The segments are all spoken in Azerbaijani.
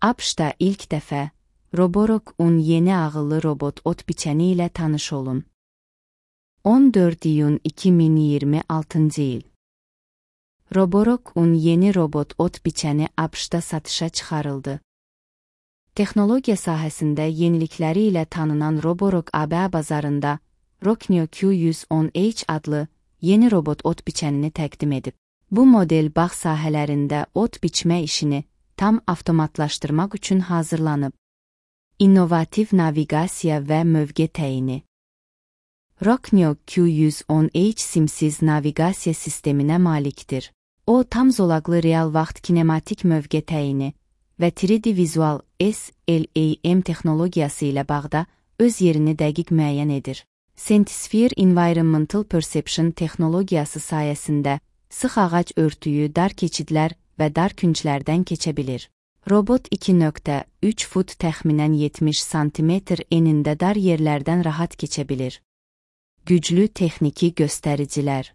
ABŞ-da ilk dəfə Roborock-un yeni ağıllı robot ot biçəni ilə tanış olun. 14 iyun 2026 il. Roborock-un yeni robot ot biçəni ABŞ-da satışa çıxarıldı. Texnologiya sahəsində yenilikləri ilə tanınan Roborock AB bazarında Rockneo Q110H adlı yeni robot ot biçənini təqdim edib. Bu model bağ sahələrində ot biçmə işini tam avtomatlaşdırmaq üçün hazırlanıb. İnnovativ naviqasiya və mövqe təyini. Rockneo Q110H simsiz naviqasiya sisteminə malikdir. O, tam zolaqlı real vaxt kinematik mövqe təyini və 3D vizual SLAM texnologiyası ilə bağda öz yerini dəqiq müəyyən edir. Sentisphere Environmental Perception texnologiyası sayəsində sıx ağac örtüyü dar keçidlər və dar künclərdən keçə bilir. Robot 2.3 fut təxminən 70 sm enində dar yerlərdən rahat keçə bilir. Güclü texniki göstəricilər.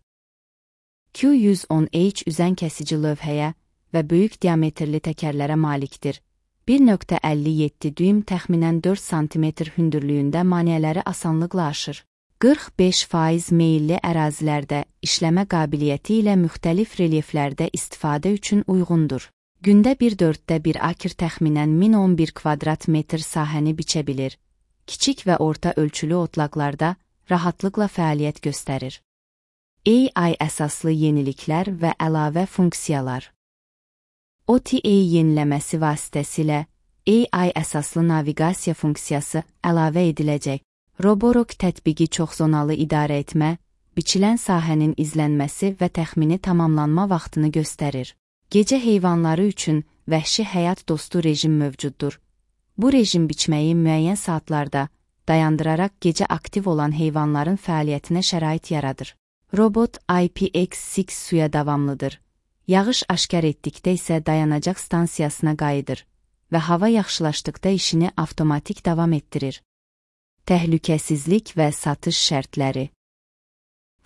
Q110H üzən kəsici lövhəyə və böyük diametrli təkərlərə malikdir. 1.57 düym təxminən 4 sm hündürlüyündə maneələri asanlıqla aşır. 45% meyilli ərazilərdə işləmə qabiliyyəti ilə müxtəlif relyeflərdə istifadə üçün uyğundur. Gündə 1/4 akr təxminən 1011 kvadrat metr sahəni biçə bilir. Kiçik və orta ölçülü otlaqlarda rahatlıqla fəaliyyət göstərir. AI əsaslı yeniliklər və əlavə funksiyalar. OTA yeniləməsi vasitəsilə AI əsaslı naviqasiya funksiyası əlavə ediləcək. Roborock tətbiqi çoxzonalı idarə etmə, biçilən sahənin izlənməsi və təxmini tamamlanma vaxtını göstərir. Gecə heyvanları üçün vəhşi həyat dostu rejim mövcuddur. Bu rejim biçməyi müəyyən saatlarda dayandıraraq gecə aktiv olan heyvanların fəaliyyətinə şərait yaradır. Robot IPX6 suya davamlıdır. Yağış aşkar etdikdə isə dayanacaq stansiyasına qayıdır və hava yaxşılaşdıqda işini avtomatik davam etdirir. Təhlükəsizlik və satış şərtləri.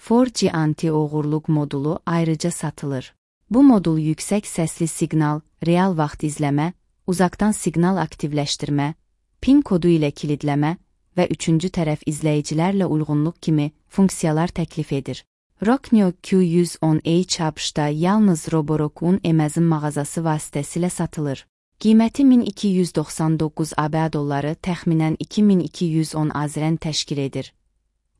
4G anti-oğurluq modulu ayrıca satılır. Bu modul yüksək səsli siqnal, real vaxt izləmə, uzaqdan siqnal aktivləşdirmə, PIN kodu ilə kilidləmə və üçüncü tərəf izləyicilərlə uyğunluq kimi funksiyalar təklif edir. Rockneo Q110H ABŞ-da yalnız Roborock-un Amazon mağazası vasitəsilə satılır. Qiyməti 1299 ABŞ dolları təxminən 2210 AZRN təşkil edir.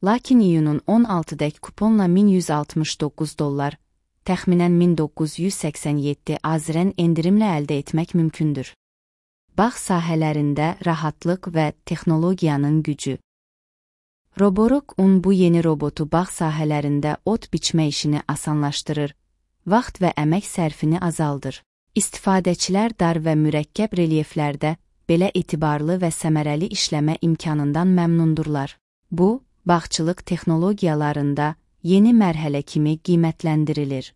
Lakin iyunun 16-dək kuponla 1169 dollar, təxminən 1987 AZRN endirimlə əldə etmək mümkündür. Bağ sahələrində rahatlıq və texnologiyanın gücü. Roborock-un bu yeni robotu bağ sahələrində ot biçmə işini asanlaşdırır, vaxt və əmək sərfini azaldır. İstifadəçilər dar və mürəkkəb relyeflərdə belə etibarlı və səmərəli işləmə imkanından məmnundurlar. Bu, bağçılıq texnologiyalarında yeni mərhələ kimi qiymətləndirilir.